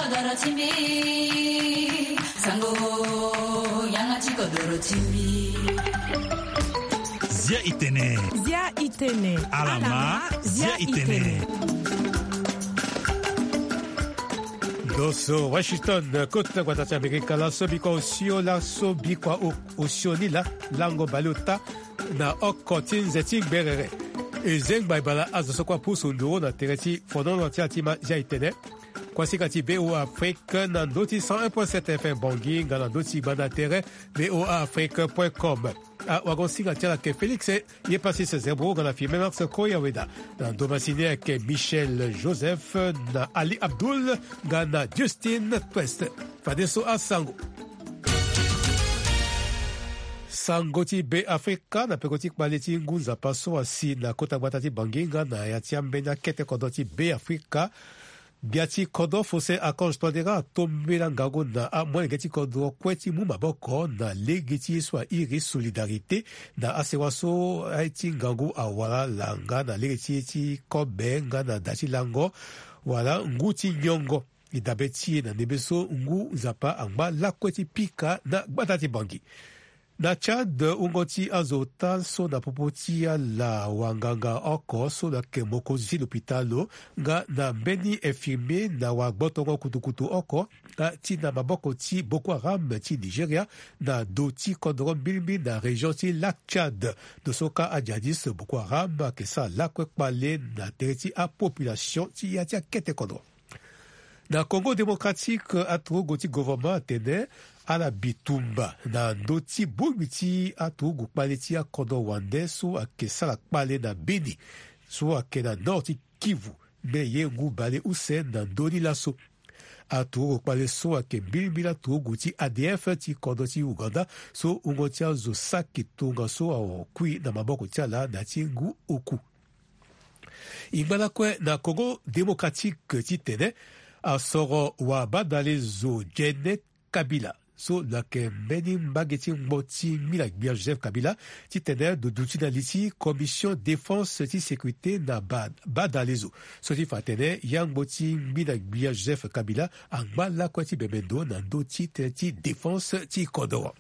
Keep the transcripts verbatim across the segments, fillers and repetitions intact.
Doro ti mbi, sango, yanga ti kodoro ti mbi. Zia i tene. Zia i tene. Alama, zia i tene. Ndo so Washington, kota gbata ti Amerika, laso bikua osio, laso bikua o-, osio ni laa, lango baleota na oko ti nze ti gberere. E zengba e bale azo so kue apusu nduru na tere ti fonono ti atima Zia i tene. Kuasinga ti V O A Afrique na ndö ti cent un point sept F M Bangui nga na ndö ti gbanda tere V O A Afrique point com. Awagosinga ti ala ayeke Félix Yepasis Zerbo nga na Firmin Max Koyaweda. Na ndo masini ayeke Michel Joseph na Ali Abdoul nga na Justin Quest. Fadeso asango. Sango ti Be Afrika na peko ti kpale ti ngu nzapa so asi na kota gbata ti Bangui nga na ya ti ambeni akete kodro ti Be Afrika. Gbia ti kodro Faustin Archange Touadéra atombela ngangu na amolenge ti kodro kue ti mu maboko na lege ti ye so airi solidarité na asewa so aye ti ngangu awara langa na lege ti ye ti kobe nga na da ti lango wala ngu ti nyongo. E dabe ti e na ndembe so ngu nzapa angba lakue ti pika na gbata ti Bangui. Na Tchad, wungo ti azo ota so na popo ti ala wanganga oko so lo yeke mokonzi ti lopitalo nga na mbeni infirmier na wagbotongo kutukutu oko, ah, ti na maboko ti Boko Haram ti Nigeria na do ti kodoro mbilimbili na région ti Lac Tchad. Ndo so kâ ajihadiste Boko Haram ayeke sara lakue kpale na tere ti apopulation ti ya ti akete kodro. Na Congo Démocratique, aturugu ti gouvernement atene ala bitumba na ndö ti bongbi ti aturugu kpale ti akodro wande so ayeke sara kpale na Beni, so ayeke na nord ti Kivu, me ye ngu bale use na ndö ni laso. Aturugu kpale so ayeke mbilimbili aturugu ti A D F ti kodro ti Ouganda, so wungo ti azo saki tongaso akui na maboko ti ala na ya ti ngu oku. E ngba lakue na Congo Démocratique titene asoro wabadale zo Gene Kabila so lo yeke mbeni mbage ti ngbo ti ngbina gbia Joseph Kabila, titene lo duti na li ti Commission Défense ti sécurité na ba-, badale zo. So ti fa atene yangbo ti ngbina gbia Joseph Kabila angba lakue ti bembe ndo na ndö ti tënë ti défense ti kodoro.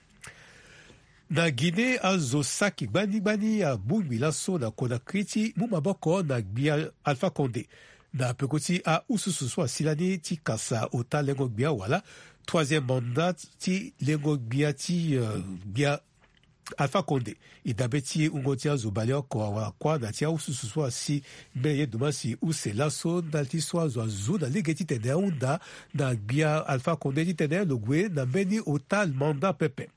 Na Guinée, azo saki gbani gbani abongbi laso na Conakry ti mu maboko na gbia Alpha Condé na peko ti aususu so asi lani ti kasa ota lengo gbia wala troisième mandat ti lengo gbia ti, euh, gbia Alpha Condé. E dabe ti e wungo ti azo baleoko awara kuâ na ti aususu so asi mbeni ye dumasi use laso ndali ti so azo azu na lege titene ahunda na gbia Alpha Condé titene lo gue na mbeni ota mandat pepe.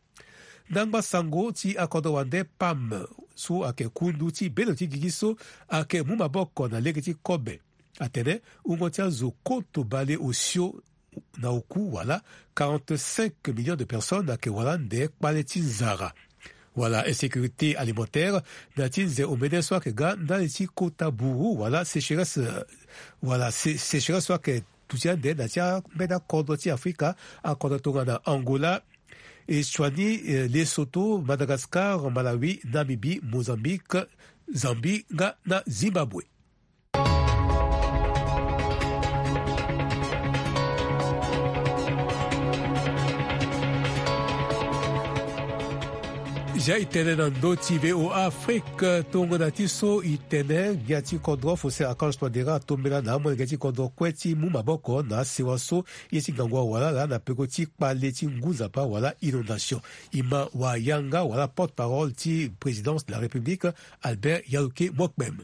Ndangba sango ti akodro wande PAM so ayeke kundu ti bendo ti gigi so ayeke mu maboko na lege ti kobe atene wungo ti azo koto bale osio na oku wala quarante-cinq millions de personnes ayeke wara ande kpale ti nzara wala insécurité alimentaire na ti nze omene so ayeke ga ndali ti kota buru wala sécheresse, wala sé-, sécheresse so ayeke duti ande na ti ambeni akodro ti Afrika, akodro tongana Angola, Eswatini, eh, Lesotho, Madagascar, Malawi, Namibie, Mozambique, Zambie nga na Zimbabwe. Zia e tene na ndö ti V O A Afrique, tongana ti so e tene gbia ti kodro Faustin Archange Touadéra atombela na amolenge ti kodro kue ti mu maboko na asewa so ye ti ngangu awara laa na peko ti kpale ti ngu nzapa wala inondation. E ma wayanga wala porte-parole ti présidence de la République, Albert Yaoké Mokpem.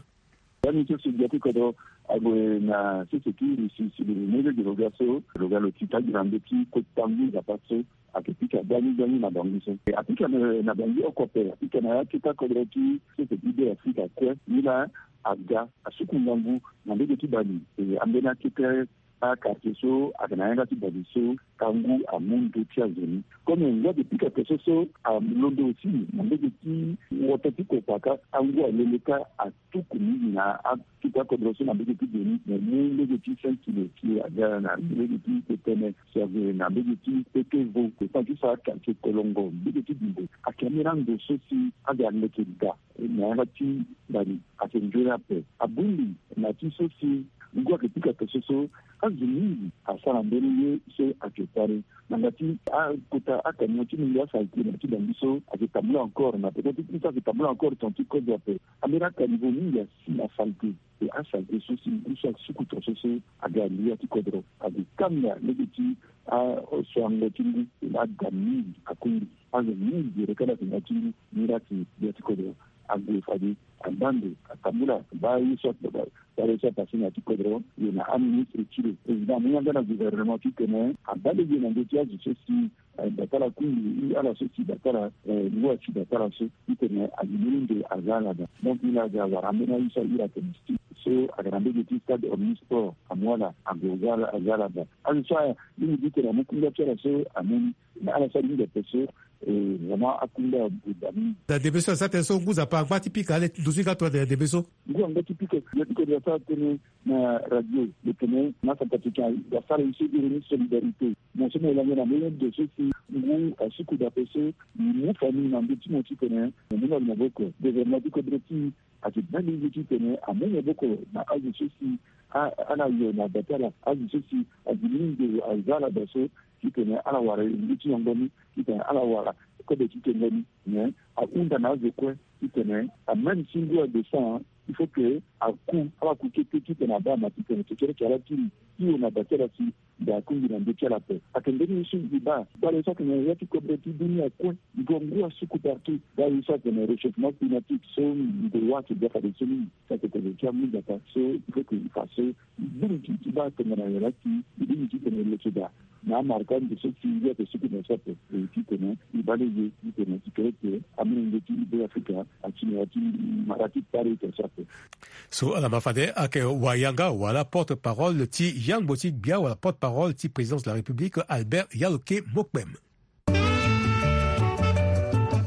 Ndani so si gbia ti kodro ague na sese ti iri si si lo mu lege lo ga so lo ga lo ti tagira ndö ti kota ngu nzapa so ayeke pika gbani gbani na bango so. E apika na, na bango oko ape, apika na akete akodro ti sese ti Be Afrika kue. Ni laa aga asuku ngangu na ndege ti bale. E ambeni akete a quartier so ayeke na yanga ti bale so ka ngu amu ndö ti azo ni. Comme ngu ayeke pika peso so alondo aussi na ndege ti wota ti kokpaka, angu alele ka atuku mingi na akete akodro so na mbege ti geni, mo mu mbege ti cinq kilo ti aga na mbege ti tetene si ague na mbege ti pekevo. Epa ti so akartie kolongo mbege ti bimbo ayeke ambeni ando so si aga aleke da na yanga ti bale ayeke nzoni ape. Abongbi na ti so si Ngu ayeke pika tongaso so azo mingi asara mbeni ye so ayeke kpale. Na ngati akota akamion ti mungo asalite na ya ti Bangui so ayeke tambula encore na peko ti kiri so ayeke tambula encore tonga ti kodro ape. Ambeni akanivo mingi asi na salite. E asalite so si ngu so asuku tongaso so aga na ya ti kodro. Ague kanga lege ti asoango ti ngu. Aga mingi akungbi azo mingi gere kala tena ti ngu. Ni la ti ya ti kodro ague fade. Abaa ndo atambula abaa ye so atambula. Baa ye so apase na ya ti kodro. Ye na aministre ti lo président amu yanga na gouvernement titene abaa lege na ndö ti azo so si eh, batala kungbi ala so si batala eh, ngu asi batala so titene alimini ndo aza ala daa. Donc ni la aga awara ambeni aye so ahiri atene sti so aga na mbege ti stade Omnisport amu ala ague aza ala daa. Azo so aya mingi titene amu kungbi ti ala so amu ni. Mais ala so alingbi ape so eh, vraiment akungbi ague daa mingi. Na debe so asa tënë so ngu Nzapa angba ti pika ale ndo so e ga tonga tene na debe so. Ngu angba ti pika ya ti kodro asara tënë na radio lo tene na centrafricain asara ye so e iri ni solidarité. Mo so mo yeke lango na mbeni ndo so si ngu asuku daa ape so e mu famille na ndö ti mo titene mo mu na lo maboko. Gouvernement ti kodro ti e ayeke baa lege titene amu maboko na azo so si a- ala yo na da ti ala azo so si ague ni ndo aza ala daa so titene ala wara ndö ti yongo ni titene ala wara kobe ti tengo ni. Mais ahunda na azo kue titene amême si ngu adescend il faut que aku ala ku kete titene abaa ma titene kekereke ala kiri hio na da ti ala si mbi akungbi na ndö ti ala ape. Ayeke mbeni ye so mbi baa gbala ye so atene ya ti kodro ti dunia kue. Mbi gue ngu asuku partout baa ye so atene réchauffement climatique so mbi wâ ayeke ga fade so mingi. Sa tene tene ti amu Nzapa so il faut que e fa so e bongbi ti baa tongana nyen la si e bongbi titene e leke daa na amarka ndo so si e yeke suku na so ape. E titene e baa lege titene e kereke amolenge ti Beafrika ati na ya ti mara ti kpale tongaso ape. So ala ma fade ayeke wayanga wala porte-parole ti yangbo ti gbia wala porte-parole ti présidence de la République Albert Yaloke Mokpem.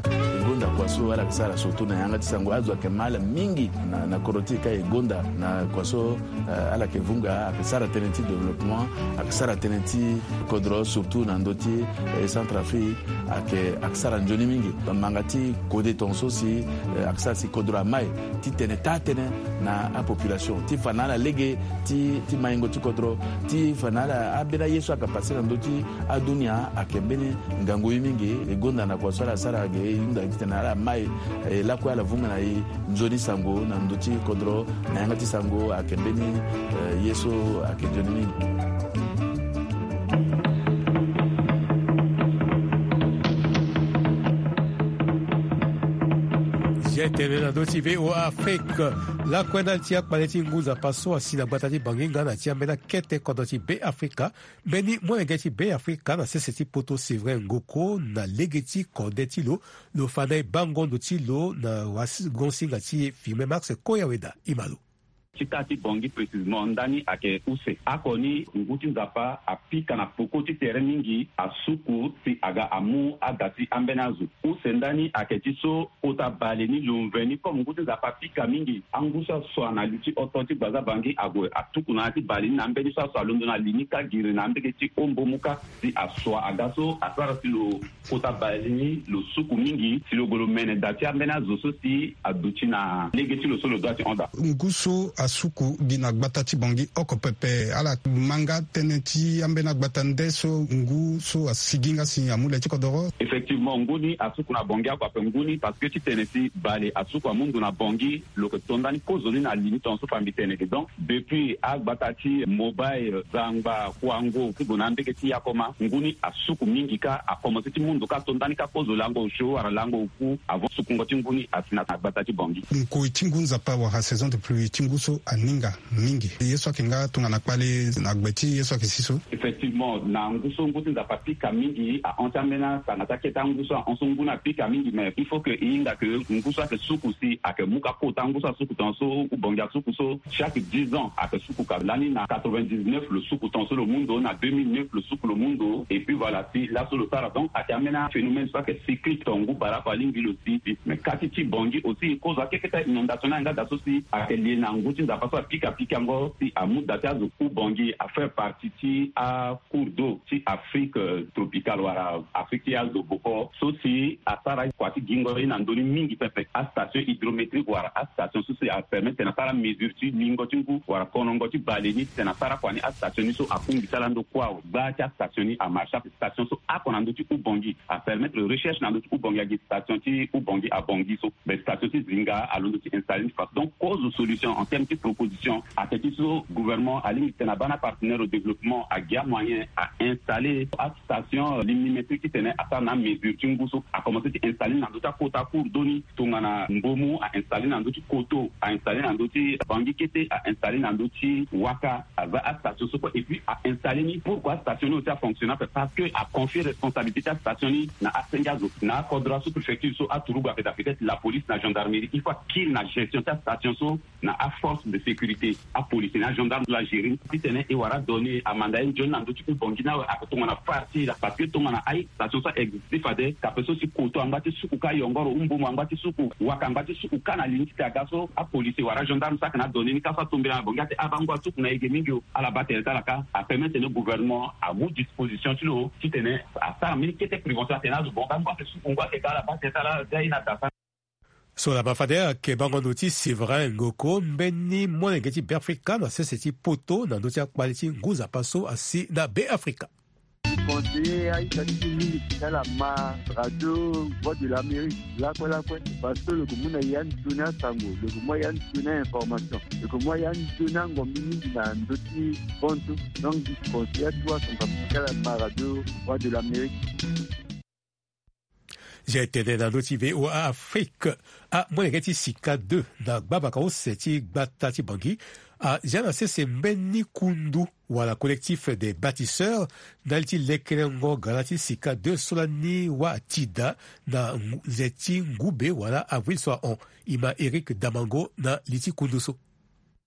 E gonda kua so ala yeke sara surtout na yanga ti sango azo ayeke ma ala mingi na, na kodro ti e ka e gonda na kua so, eh, ala yeke vunga ayeke sara tënë ti développement, ayeke sara tënë ti kodro surtout na ndö ti, eh, Centrafrique ayeke, ayeke sara nzoni mingi. Manga ti kode tongaso si, eh, ayeke sara si kodro amai ti tene taa tënë na apopulation ti fa na ala lege ti, ti maingo ti kodro ti fa na ala ambeni aye so ayeke pase na ndö ti adunia ayeke mbeni ngangu ye mingi. E gonda na kua so ala sara ge e hunda titene ala mai, eh, lakue ala vunga na e nzoni sango na ndö ti kodro na yanga ti sango ayeke mbeni, eh, ye so ayeke nzoni mingi. Zia tene na ndö ti V O A Afrique. Lakue ndali ti akpale ti ngu Nzapa so asi na gbata ti Bangi nga na ti ambeni akete kodro ti Beafrika. Mbeni molenge ti Beafrika na sese ti poto Séverin Ngoko na lege ti kode ti lo, lo fa na e bango ndo ti lo na wagonsinga ti e Firmin Max Koyaweda. E ma lo. Ti taa ti Bangi précisément ndani ayeke use. Oko ni ngu ti Nzapa apika na peko ti tere mingi, asuku si aga amu ada ti ambeni azo. Use ndani ayeke ti so kota bale ni lo mveni comme ngu ti Nzapa apika mingi. Angu so asua na li ti oto ti gbaza Bangi ague atuku na ya ti bale ni na ambeni so asua alondo na li ni kâ giri na ambege ti ombo mu kâ. Si asua aga so asara si lo kota bale ni lo suku mingi si lo gue lo mene da ti ambeni azo so si aduti na lege ti lo so lo dua ti hon daa. Ngu so asuku gi na gbata ti Bangi oko pepe ala ma nga tënë ti ambeni agbata nde so ngu so asigi nga si amu le ti kodoro. Effectivement ngu ni asuku na Bangi oko ape ngu ni parce que ti tene si bale asuku amu ndo na Bangi. Lo yeke to ndani kozo ni na li ni tongaso fa mbi tene ge donc depuis agbata ti Mobay, Zangba, Kouango ti gue na ambege ti Yakoma ngu ni asuku mingi kâ akomanse ti mu ndo kâ to ndani kâ kozo lango osio wala lango oku avant sukungo ti ngu ni asi na agbata ti Bangi. Nkoi ti ngu Nzapa wala saison de pluie ti ngu so aninga mingi ye so ayeke nga tongana kpale na gbe ti ye so ayeke si so. Effectivement na ngu so ngu ti Nzapa apika mingi ahon ti ambeni asanga ti akete angu so ahon so ngu ni apika mingi mais il faut que e hinga que ngu so ayeke suku si ayeke mu kâ kota ngu so asuku tongaso ou Bangi asuku so chaque dix ans ayeke suku kâ lani na quatre-vingt-dix-neuf lo suku tongaso lo mu ndo na deux mille neuf lo suku lo mu ndo et puis voilà si laso lo sara donc ayeke ambeni aphénomène so ayeke cyclique tonga ngu bara ape alingbi lo si si mais kâ ti ti Bangi aussi kozo akeketa inondation ni ayeke nga da so si ayeke lie na ngu Ti nzapa so apika pikango si amu da ti azo Ubangui afaire partie ti acours d'eau ti Afrique tropicale wala Afrique ti azo boko so si asara kua ti gingo ye na ndoni mingi pepe. Astation hydrométrique wala astation so si apermettre tena asara mesure ti lingo ti ngu wala konongo ti bale ni tena asara kua ni. Astation ni so akungbi ti ala ndo kua o gba ti astation ni amarche ape. Station so ako na ndö ti Ubangui apermettre recherche na ndö ti Ubangui agi station ti Ubangui abangui so. Mais station ti zinga alondo ti installer ni façon donc cause solution en terme ti proposition. Ake ti so gouvernement alingbi tena abana partenaire au développement agia moyen a installer astation limnimétrique ti tene asara na amesure ti ngu so akomense ti installer na ndö ti akota cours d'eau ni. Tongana Mbomu a installer na ndö ti Koto, a installer na ndö ti Bangui kete, a installer na ndö ti Waka. Aza astation so kue et puis a installer ni pourquoi astation ni aussi afonctionne ape parce que aconfie responsabilité ti astation ni na asenge azo na akodro asous-préfecture so aturugu ape da peut-être la police na gendarmerie il faut akiri na gestion ti astation so na aforce de sécurité. Apolice na agendarme so la gérer ni ti tene e wara donner amanda ye nzoni na ndö ti Ubangui ni awe ape tongana far ti la parce que tongana aye station so a existe fade kape so si Koto angba ti suku ka yongoro Mbomu angba ti suku Waka angba ti suku ka na li ni ti te aga so apolice wala agendarme so ake na adonner ni ka so atombela na Bangui ate abangu asuku na ege mingi o. Ala baa tene ti ala ka apermettre tene gouvernement amu disposition ti lo ti tene asara mbeni kete prévention atene azo bonga ngu ake suku ngu ake ka ala baa tene ti ala ga ye na da sara. So laba fade ayeke bango ndo ti Séverin Ngoko mbeni molenge ti Beafrika na sese ti poto na ndö ti akpale ti ngu nzapa so asi na Beafrika. Conseiller aita ti mingi ti ala ma radio Voix de l'Amérique lakue lakue parce que lo yeke mu na ya nzoni asango, lo yeke mu ya nzoni ainformation, lo yeke mu ya nzoni angombi mingi na ndö ti bantu. Donc conseiller atu asango ti ala ma radio Voix de l'Amérique. Zia etene na ndö ti VOA Afrique amolenge ti sika deux na gbabaka use ti gbata ti Bangui azia na sese mbeni kundu wala collectif des bâtisseurs ndali ti lekelengo gara ti sika deux so lani wâ atida na nze ti ngube wala avril so ahon. E ma Eric Damango na li ti kundu so.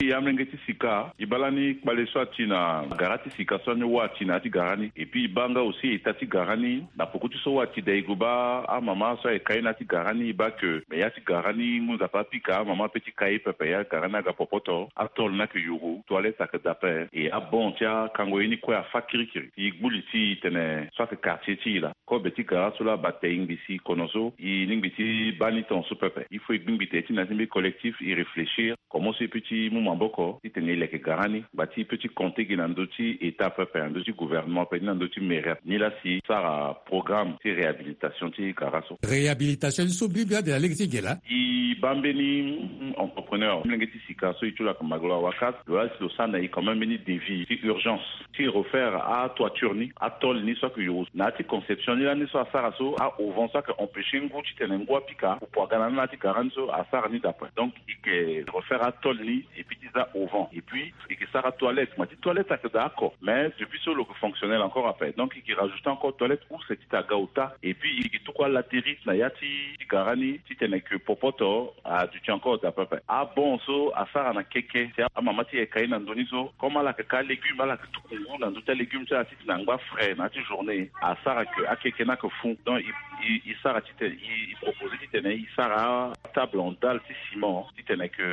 E amolenge ti sika e baa lani kpale so ati na gara ti sika so ani wâ ati na ya ti gara ni et puis e baa nga aussi eta ti gara ni na poko ti so wâ ati da e gue baa amama so ayeke ka ye na ya ti gara ni e baa ke me ya ti gara ni ngu nzapa apika amama ape ti ka ye pepe ya gara ni aga popoto atôle ni ayeke yuru toilette ayeke daa ape. E abon ti akango ye ni kue afa kirikiri si e gbu li ti e tene so ayeke quartier ti e laa kobe ti gara so laa bate e ngbi si kono so e lingbi ti baa ni tongaso pepe il faut e gbingbi tene ti na ya ti mbeni collectif e réfléchir comment so e peut ti mu maboko titene e leke gara ni ngba ti e peut ti compter gi na ndö ti état pepe na ndö ti gouvernement pe ni na ndö ti mairie ni laa si sara programme ti réhabilitation ti gara so. Réhabilitation ni so mbirimbiri ande na lege ti ge laa. E baa mbeni entrepreneur molenge ti sika so e ti lo ayeke magloire wakas lo laa si lo sara na e quand même mbeni devis ti urgence ti refaire atoiture ni atôle ni so ayeke yoro na ya ti conception ni lani so asara so aovent so ayeke empêcher ngu titene ngu apika pupu aga na ni na ya ti gara ni so asara ni d'après donc e yeke refaire atôle ni et puis ti za auvent et puis e yeke sara toilette ma ti toilette ayeke daa oko mais depuis so lo yeke fonctionnel encore ape donc e yeke rajouter encore toilette use ti ta ga ota et puis e yeke tuku alatérie na ya ti gara ni titene ke popoto aduti encore daa pepe abon so asara na keke si amama ti e ayeke ka ye na ndö ni so comme ala yeke ka légume ala yeke tuku ngu na ndö ti alégume ti ala titene angba frais na ya ti journée asara ke akeke ni ayeke fou donc e sara titene e propose titene e sara atable en dalle ti ciment titene ke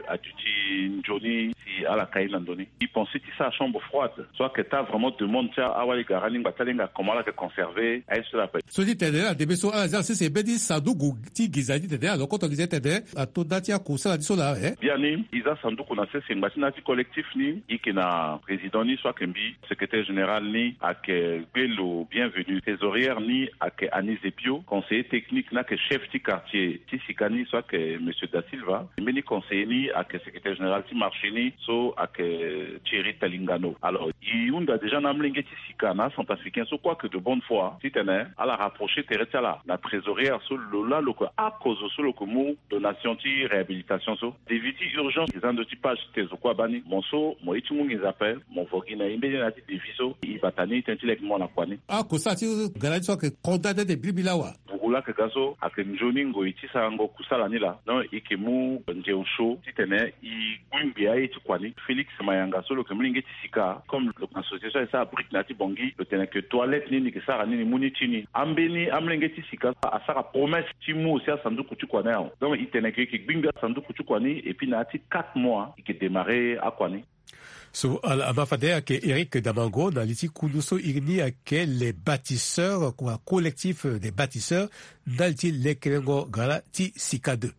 aduti nzoni si ala ka ye na ndö ni e pense ti sara chambre froide so ayeke taa vraiment demande ti awali gara ni ngba ti ala hinga comment ala yeke conserver aye so ala pe. So ti tene na ndembe so ala zia na sese mbeni sanduku ti nginza ti tene alokoto nginza ti tene ato nda ti akosala ti so laa e. Biani e za sanduku na sese ngba ti na ya ti collectif ni e yeke na président ni so ayeke mbi secrétaire général ni ayeke gbelo bienvenu trésorière ni ayeke anise epio conseiller technique ni ayeke chef ti quartier ti sika ni so ayeke monsieur da silva mbeni conseiller ni ayeke secrétaire général ti marché ni so ayeke thierry talingano alors e hunda déjà na amolenge ti sika na acentrafricain so kue ayeke de bonne foi titene ala rapprocher tere ti ala na trésorière so lo laa lo yeke akozo so lo yeke mu donation ti réhabilitation so devis ti urgence eza ndö ti page ti te zo kue abaa ni mo so mo ye ti mu nginza ape mo vo gi na e mbeni na ya ti devis so e bata ni tënë ti leke mo na kua ni. Akosala ti gara ni so ayeke konda nde nde birimbiri laa wa. Olaka ga so ayeke nzoni ngoi ti sarango kusala ni laa. Donc e yeke mu nzeu so titene e gbu ngbi aye ti kua ni. Félix Mayanga so lo yeke molenge ti sika comme lo na association e sara brique na ya ti Bangui, lo tene ke toilette ni ni yeke sara ni ni mu ni ti ni. Ambeni amolenge ti sika asara promesse ti mu aussi asanduku ti kua ni awe. Donc e tene ke e yeke gbi ngbi asanduku ti kua ni et puis na ya ti quatre mois e yeke démarrer akua ni. So ala ma fade ayeke Eric Damango na li ti kundu so iri ni ayeke les bâtisseurs kua, collectif des bâtisseurs, ndali ti lekerengo gara ti sika deux.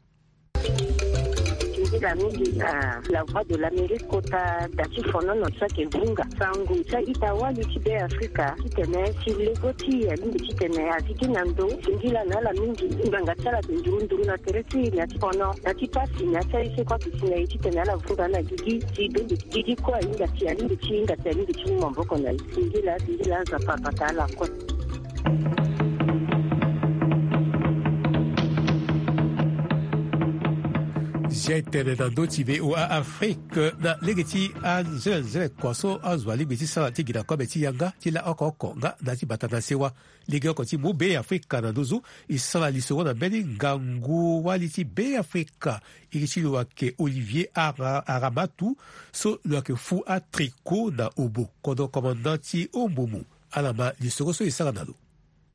Nzila mingi na La Voix de l'Amérique kota da ti fonono so ayeke vunga. Sango ti a-ita wali ti Be Afrika titene si lego ti e alingbi titene azi gi na ndo singila na ala mingi. Ngbanga ti ala ayeke nduru nduru na tere ti e na ya ti fono, na ti pasi, na ya ti aye so kue ayeke si na e titene ala vunga ala gigi. Si be mbi gigi kue ahinga ti, ahinga ti, ahinga ti, ahinga ti mu maboko na e. Singila, singila, Nzapa abata ala kue. Zia e tene na ndö ti V O A Afrique na lege ti anzenenzene kua so azo alingbi ti sara ti gi na kobe ti yanga ti la oko oko nga na ti bata na sewa. Lege oko ti mu Be Afrika na nduzu e sara lisoro na mbeni ngangu wali ti Be Afrika. Iri ti lo ayeke Olivier Ara-, Aramatu so lo yeke fu atricot na obo, kodro commandant ti Ombomu. Ala ma lisoro so e sara na lo.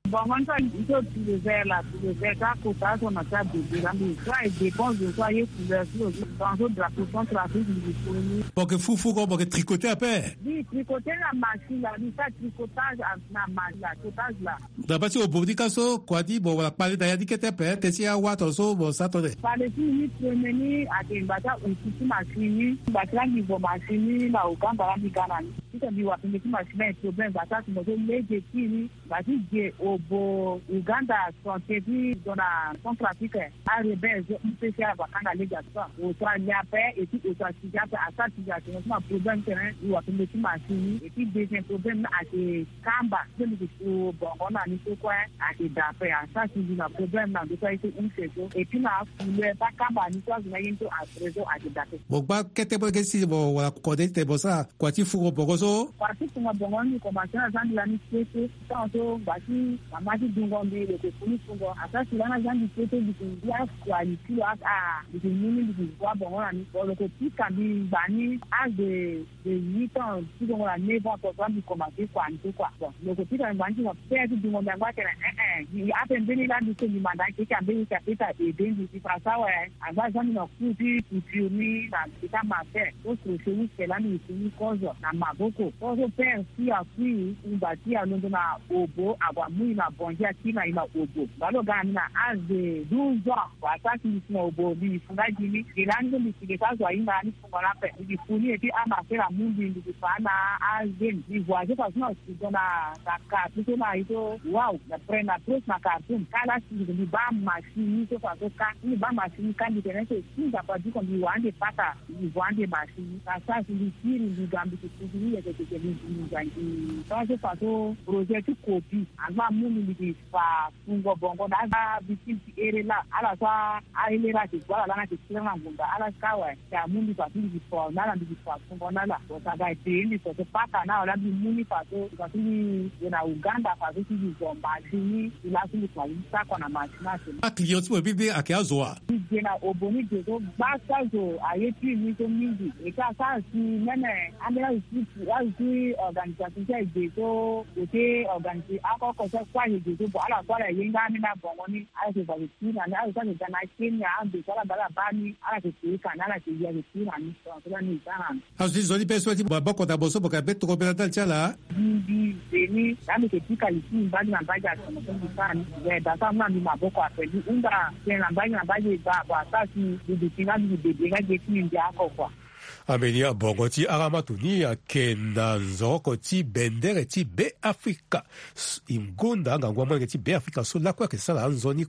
Bon, moi, ça, il faut utiliser la, utiliser ça, pour ça, on a ça, de, de, la, mais ça, et dépense de ça, et couleur, sur le, dans le drapeau, centrafrique, il faut. Bon, que fou, fou, bon, que tricoter à paix. Oui, tricoter la machine, là, oui, ça, tricotage, ah, la machine, là, tricotage, là. Daba ti obo ni ka so kua ni mo wala kpale na ya ni kete ape, te si awa tongaso mo sa tone. Kpale ti mi ni premier ni ayeke ngba ti ahusu ti machine ni, ngba ti langi vo machine ni na Uganda lani ga na ni. Titene mbi wara penge ti machine ni problème, ngba ti ahusu mo so lege ti ni, ngba ti ge obo Uganda santé ti zo na Centrafrique. Arebelle zo mpe si ala va kanga lege ato. Oto alia ape, et puis oto atiza ape, asara tiza ato na problème tene, e wara penge ti machine ni, et puis deuxième problème ni ayeke kamba so mbi ke so bongo na ni so kue ayeke da ape, asara si mbi na problème na ndo so aye so use so. Et puis na acouleur ti akamba ni so azo na ye ni so après so ayeke da ape. Mo gba kete mo yeke si mo wara kode ti tene mo sara kua ti fungo bongo so. Kua ti fungo bongo ni, komanse na zia mbi lani kete. Tant so ngba ti mama ti dungo mbi lo yeke fu ni fungo. Asara si lani azia mbi kete mbi ke ngia kua ni ti lo aka mbi ke mu ni mbi ke gua bongo na ni. Bon lo yeke pika mbi ngba ni age de huit ans ti gongo na neuf ans tongaso la mbi komanse kua ni so kua. Bon lo yeke pika mbi ngba ni ti mo pere ti dungo mbi angba atene eh eh mbi ape mbeni laa mbi so mbi manda akeke ambeni ti apeta ede mbi ti fa so awe. Angba azia mbi na cours ti couture ni na mbi ti amaster so crochet ni si lani mbi si ni kozo na maboko. Kozo pere si akui ngba ti alondo na obo ague amu e na bongi akiri na e na obo. Ngba lo ga na mbi na age de douze ans. Wa sara si mbi si na obo mbi fu nga gi ni. Gi lani so mbi si ge so azo ahinga ni. Voilà, pe mbi gi fu ni et puis amaster amu mbi, mbi gi fa na azemi. Mbi voyager façon na studio na, na Khartoum so na ye so, waouh, na près na proche na Khartoum. Kâ la si mbi baa machine ni so façon kâ. Mbi baa machine ni kâ mbi tene so si Nzapa du ko mbi wara ande pata, mbi voit ande machine ni. Ka sara si mbi kiri mbi ga mbi gi fu ni yeke yeke mbi gi mbi ga mbi. Façon façon projet ti copie. Angba amu mbi, mbi gi fa fungo bongo na aza victime ti here laa. Ala so ahere laa ayeke gbu ala laa na ayeke kiri na ngonda ala so ka awe. Ti amu mbi fa ti mbi gi fa na ala, mbi gi fa fungo na ala. Bon, ça va ete mbi so so paka na awe laa mbi mu ni fa so, fa ti mbi gue na Uganda fa so ti mbi zo machine ni. Ti laa so mbi fa ni sako na machine na so. Aclient ti mo mbi mbi ayeke azo wa? Mbi gue na obo ni gue so gba so azo aye ti mbi so mingi. E ka sara si meme ambeni azo ti, azo ti organisation ti aye gue so, côté organisé oko oko so kue aye gue so, bon ala so ala ye nga ambeni abongo ni. Ala yeke va yeke kiri na ni, ala yeke ga na Kenya, ande so ala baa ala baa ni, ala yeke pika ni, ala yeke ya yeke kiri na ni. Donc so la ni e sara na ni. Azo ti zo ni be so ti maboko na mo so mo yeke be tokobela ndali ti ala. Mbi, mbi ze ni, la mbi yeke pika li ti mbi mbage na mbage ato na so mbi sara ni. We da so amu na mbi maboko ape mbi hunda tënë na mbage na mbage, ba, ba, asara si mbi duti nga mbi gi bebe nga ge ti mbi mbia oko kua. Ambeni abongo ti Aramatu ni ayeke na nzoroko ti bendere ti Be Afrika. S-, e gonda ngangu amolenge ti Be Afrika so lakue ayeke sara anzoni,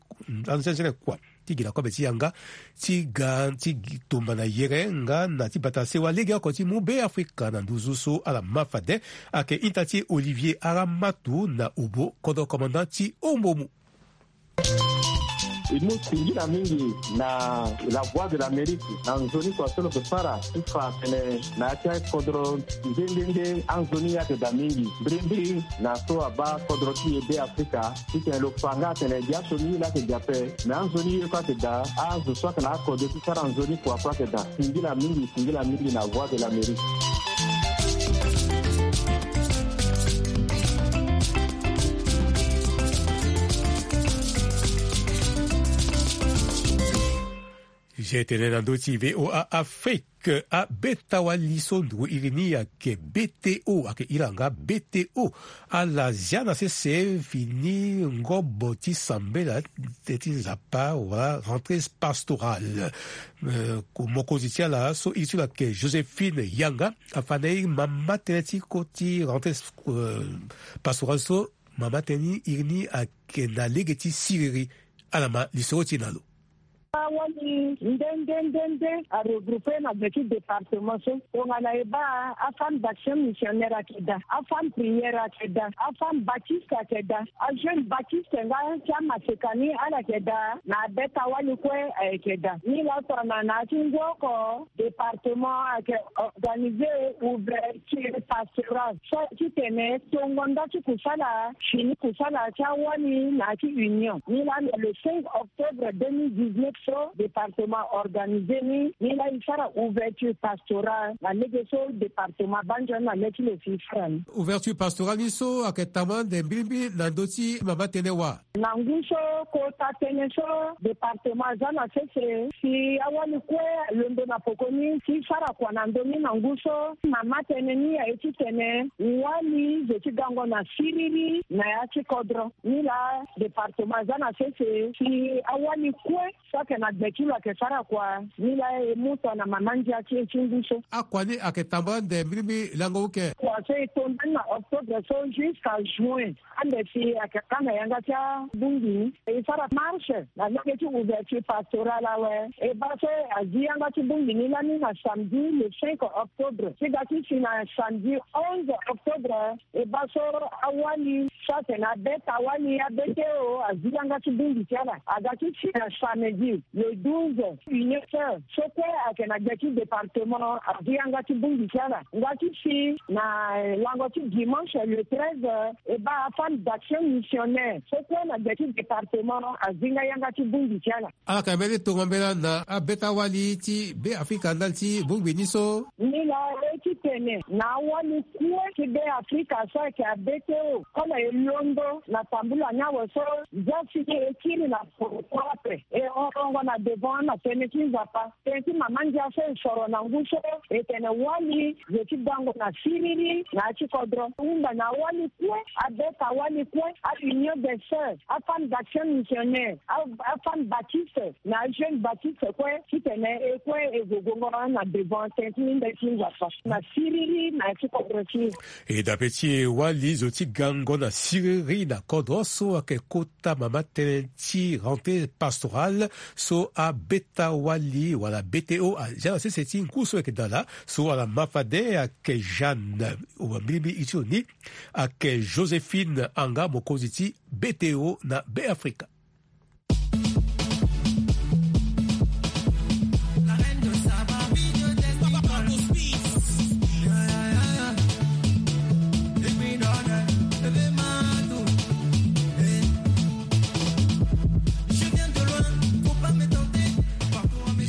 anzenze kua ti gi na kobe ti yanga ti ga ti gi tumba na yere nga na ti bata sewa legeoko ti mu Be Afrika na nduzu so ala ma fade. Ayeke ita ti Olivier Aramatu na obo kodro commandant ti Ombomu. E mu singila mingi na La Voix de l'Amérique na nzoni kua so lo yeke sara ti fa atene na ya ti akodro nde nde nde anzoni ayeke daa mingi. Mbirimbiri na so abaa kodro ti e Be Afrika, titene lo fa nga atene gi aso ni ye laa ayeke daa ape, me anzoni ye kue ayeke daa, azo so ayeke na akodro ti sara nzoni kua kue ayeke daa. Singila mingi, singila mingi na Voix de l'Amérique. Zia tene na ndö ti V O A Afrique, abeta wali so nduru iri ni ayeke B T O, ayeke iri nga B T O. Ala zia na sese fini ngobo ti sambela ti Nzapa wala rentrée pastorale. Eh, ko-, mokonzi ti ala so iri ti lo ayeke Joséphine Yanga, afa na e mama tënë ti ko ti rentrée, eh, pastorale so mama tënë ni iri ni ayeke na lege ti siriri. Ala ma lisoro ti e na lo. Awali nde nde nde nde aregroupe na gbe ti département so. Tongana e baa afemme d'action missionnaire ayeke daa, afemme prière ayeke daa, afemme baptiste ayeke daa, ajeune baptiste nga ti amaseka ni ala yeke daa, na abeta wali kue ayeke daa. Ni laa tongana na ya ti ngu oko département ayeke organiser ouverture pastorale so titene tongo nda ti kusala, fini kusala ti awali na ya ti union. Ni laa na le cinq octobre deux mille dix-neuf so département organiser ni, ni laa e sara ouverture pastorale na lege so département abaa nzoni na le ti lo si e sara ni. Ouverture pastorale ni so ayeke tambula ande mbirimbiri na ndö ti mama tënë wa. Na ngu so kota tënë so département aza na sese si awali kue alondo na poko ni si e sara kua na ndö ni na ngu so mama tënë ni aye titene wali zo ti gango na siriri na ya ti kodro. Ni laa département aza na sese si awali kue so ayeke na gbe ti lo ayeke sara kua. Ni laa e mu tongana mama ndia ti e ti ngu so. Akua ni ayeke tambula ande mbirimbiri lango uke. Kua so e to ndani na octobre so jusqu'à juin. Ande si ayeke ka na yanga ti abongbi ni, e sara marche na lege ti ouverture pastorale awe. E baa so azi yanga ti bongbi ni lani na samedi le cinq octobre ti ga ti si na samedi onze octobre. E baa so awali so atene abeta wali, A B T O, azi yanga ti bongbi ti ala. A ga ti si na samedi le douze, union sœur so kue ayeke na gbe ti département azi yanga ti bongbi ti ala. Nga ti si na, eh, lango ti dimanche le treize, e baa afemme d'action missionnaire so kue na gbe ti département azi nga yanga ti bongbi ti ala. Ala yeke mbeni tongo mbela na abeta wali ti Be Afrika ndali ti bongbi ni so. Ni laa e ti tene na awali kue ti Be Afrika so ayeke A B T O, kono e londo na tambula ni awe so, za si ni e kiri na poko ape, e horongo na devant na tënë ti Nzapa. Tënë ti mama ndia so e soro na ngu so, e tene wali zo ti gango na siriri na ya ti kodro. Hunda na awali kue, abeta wali kue, a union des sœurs, afemme d'action missionnaire, a, afemme baptiste, na ajeune baptiste kue, titene e kue e zo gongo na devant tënë ti nde ti Nzapa na siriri na ya ti kodro ti e. E dape ti e, wali zo ti gango na siriri na kodro so ayeke kota mama tënë ti rentrée pastorale so abeta wali wala B T O azia na sese ti ngu so ayeke daa laa, so ala ma fade ayeke Jeanne, wa mbirimbiri iri ti lo ni ayeke Joséphine Anga, mokonzi ti B T O na Be Afrika.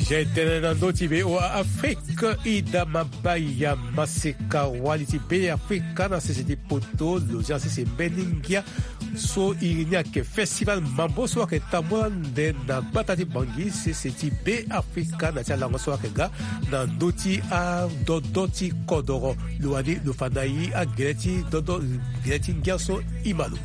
Zia tënë na ndö ti V O A Afrique, Ida Mabaya, maseka wali ti Be Afrika na sese ti poto, lo zia sese mbeni ngia so iri ni ayeke festival mambo so ayeke tambula ande na gbata ti Bangui, sese ti Be Afrika, na ti alango so ayeke ga na ndö ti adodo ti kodoro. Lo wani lo fa na e agele ti dodo, gele ti ngia so e ma lo.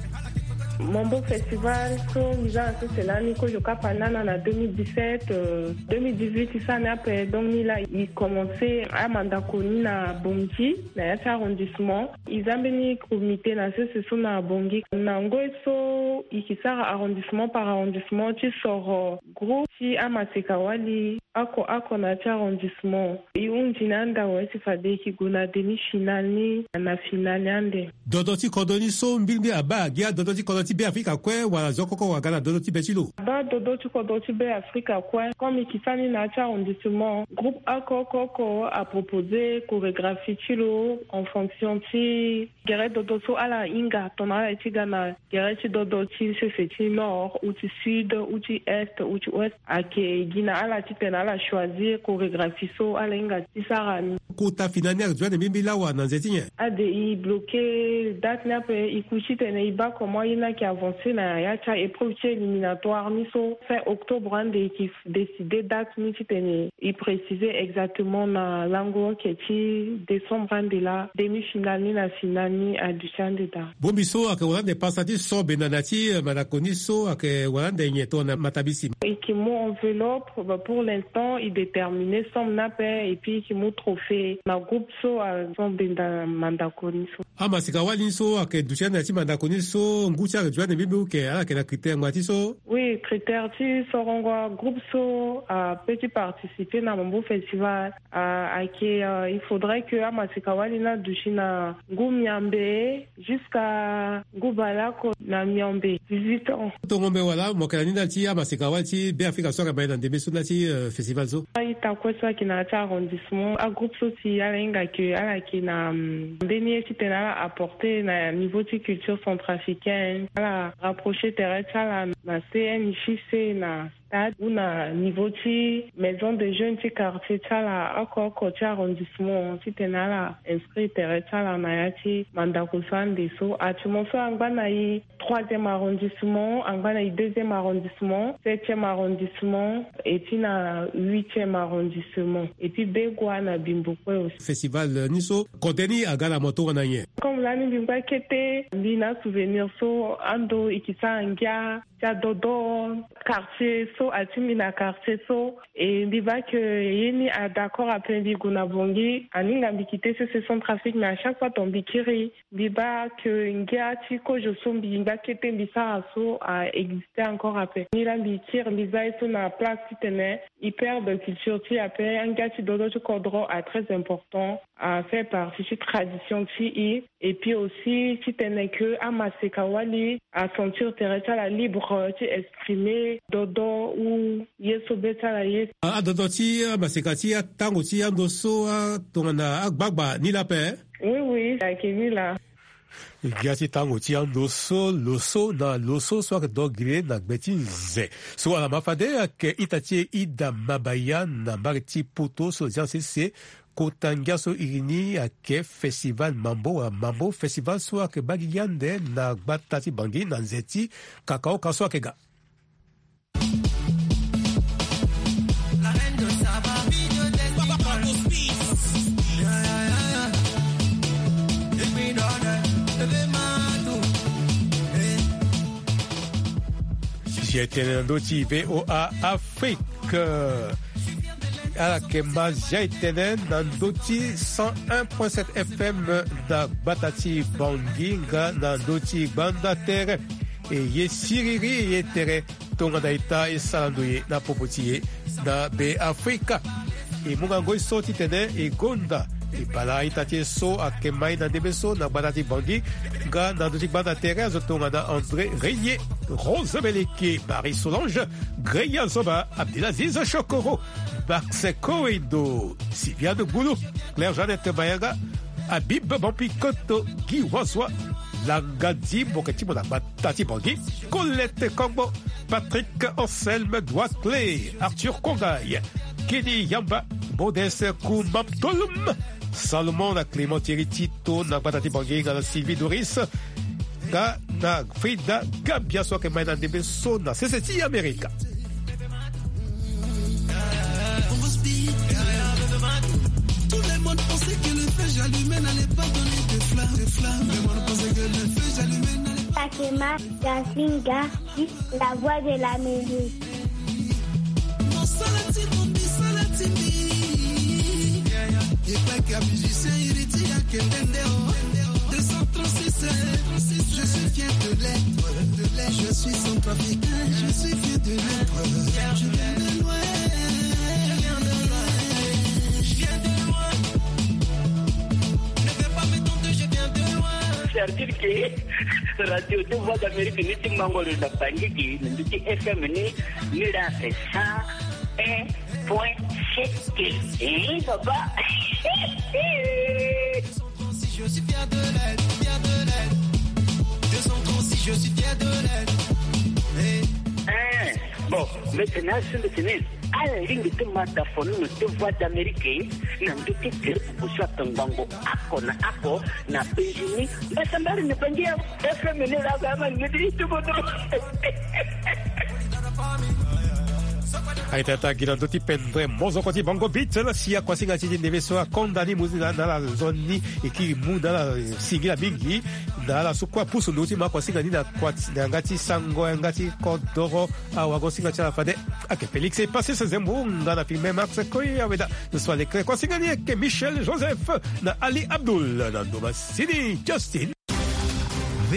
Mambo Festival so mbi za na sese lani kozo okapa nana na deux mille dix-sept, euh, deux mille dix-huit e sara ni ape. Donc ni laa e commencé amandako ni na Bangui, na ya ti arrondissement. E za mbeni comité na sese so na Bangui. Na ngoi so e ke sara arrondissement par arrondissement ti soro groupe ti amaseka-wali oko oko na ya ti arrondissement. E hunzi na anda awe si fade e yeke gue na demi-finale ni na finale ande. Dodo ti kodro ni so mbilimbili abaa gi adodo ti kodro ti Beafrika kue wala zo oko oko aga na dodo ti be ti lo? Abaa dodo ti kodro ti Beafrika kue. Comme e yeke sara ni na ya ti arrondissement, groupe oko oko oko apropose chorégraphie ti lo en fonction ti gere dodo so ala hinga, tongana ala ye ti ga na gere ti dodo ti sese ti nord ou ti sud ou ti est ou ti ouest, ayeke gi na ala titene ala choisir chorégraphie so ala hinga ti sara ni. Kota finale ni ayeke zo ande mbilimbili awa na nze ti nyen? Ade, e bloqué date ni ape, e ku titene e baa comment ye ni ayeke avancer na ya ti a-épreuve ti éliminatoire ni so. Fin octobre ande e yeke décider date ni titene e préciser exactement na lango oko ti décembre ande laa, demi-finale ni na finale ni aduti ande daa. Bongbi so ayeke wara ande pasa ti so benda na ya ti, eh, mandako ni so ayeke wara ande nyen tongana matabisi? E yeke mu enveloppe, bah, pour l'instant e déterminer somme ni ape, et puis e yeke mu trophée na groupe so aso benda mandako ni so. Amaseka-wali ni so ayeke duti ande na ya ti mandako ni so ngu ti ala ayeke duti ande mbilimbili, ok, ala yeke na critère ngbanga ti so? Oui, critère ti sorongo groupe so apeut ti participer na Mambo Festival, ah, ayeke, euh, il faudrait que amaseka-wali ni aduti na ngu miambe jusqu'à ngu baleoko na miombe, dix-huit ans. Tongombe wala mo yeke na ni ndali ti amaseka-wali ti Beafrika so ayeke ma e na ndembe so ndali ti, euh, festival so? A-ita kue so ayeke na ya ti arrondissement, agroupe so si ala hinga ke ala yeke na, hum, mbeni ye titene ala apporter na niveau ti culture centrafricaine, ala rapprocher tere ti ala na C N J C na stade ou na niveau ti maison de jeunes ti quartier ti ala oko oko ti arrondissement titene ala inscrire tere ti ala na ya ti mandako so ande so. Actuellement so angba na e troisième arrondissement, angba na e deuxième arrondissement, septième arrondissement, et puis na huitième arrondissement, et puis Begoua na Bimbo kue aussi. Festival, euh, ni so kode ni aga na mo tongana nyen? Comme lani mbi ngba kete, mbi na souvenir so ando e yeke sara ngia ti adodo quartier so, atingbi na quartier so. E mbi baa ke ye ni adaccord ape, mbi gue na Bangui, aninga mbi kite sese Centrafrique, mais à chaque fois donc mbi kiri, mbi baa ke ngia ti kozo so mbi ngba kete mbi sara so a exister encore ape. Ni laa mbi kiri, mbi zia ye so na place titene e perdre culture ti e ape, angia ti dodo ti kodro a très important, a fait partie ti tradition ti e. Et puis aussi titene ke amaseka-wali asentir tere ti ala libre ti exprimer dodo ou ye so be ti ala ye. A, adodo ti amaseka ti atango ti ando so, a, tongana agbagba ni laa ape? Oui, oui, ayeke ni laa. Ngia ti tango ti ando so, lo so na lo so so ayeke do gere na gbe ti nze. So ala ma fade ayeke ita ti e Ida Mabaya na mbage ti Poto so lo zia sese. Kota ngia so iri ni ayeke Festival Mambo, wala Mambo Festival so ayeke baa gigi ande na gbata ti Bangui na nze ti kakaoka so ayeke ga. Si e tene na ndö ti V O A Afrique. Ala yeke ma zia e tene na ndö ti cent un point sept F M na gbata ti Bangui nga na ndö ti gbanda tere. E ye siriri, e ye tere tongana e ta e sara ndo ye na popo ti e na Beafrika. E mu ngangu so titene e gonda e bala a-ita ti e so ayeke ma e na ndembe so na gbata ti Bangui nga na ndö ti gbanda tere azo tongana André Régnier, Rose Beleke, Marie Solange, Greya Zoba, Abdelaziz Chokoro, Max Kowendo, Sylviane Boulou, Claire Jeannette Mayanga, Habib Bampikoto, Guy Wazwa, Langa Dimbo, ke ti mo na gbata ti Bangui, Colette Kongbo, Patrick Anselme Douaclé, Arthur Kongay, Kenny Yamba, Bodes Kumamtolum, Salomon na Clément Thierry Tito na gbata ti Bangui nga na Sylvie Doris, nga na Frida Gabia so ayeke ma e na ndembe so na sese ti Amerika. Tout le monde pensait que le feu j'allumais n'allait pas donner de flamme, de flamme. Le monde pensait que le feu j'allumais n'allait pas. Fatima Gasinga, la voix de l'Amérique. Je suis centrafricain, je suis fier de l'être. Je viens de loin, je viens de loin, je viens de loin. Ne viens pas me tenter, je viens de loin. C'est-à-dire que Radio deux Voix d'Amérique ni ti mango lo na Bangui, na ndö ti F M ni, ni la c'est cent un point sept. Eh, papa. Deux cent trente-six, je suis fier de l'être, fier de l'être. Deux cent trente-six, je suis fier de l'être. Eh. Eh, bon, maintenant, je me tenais. Ala lingbi ti ma da fo ni na deux Voix d'Amérique, na ndö ti groupe so ato ngbongo oko na oko na Bangui ni. Mbasambari na Bangui ya F M ni la ga ma ni di tubo do. Aita ta gi na ndö ti pendre mozoko ti Bango Beat na si akuasinga ti ti ndembe so akonda ni mu na ala nzoni, e kiri mu na ala singila mingi. Na ala so kue apusu ndö ti ma akuasinga ni na kua ti na yanga ti sango yanga ti kodoro. Awagosinga ti ala fade. Ake Félix e passé se zembo nga na filme Max Koy aweda. Na so alekre kuasinga ni eke Michel Joseph na Ali Abdoul na ndoma sini Justin.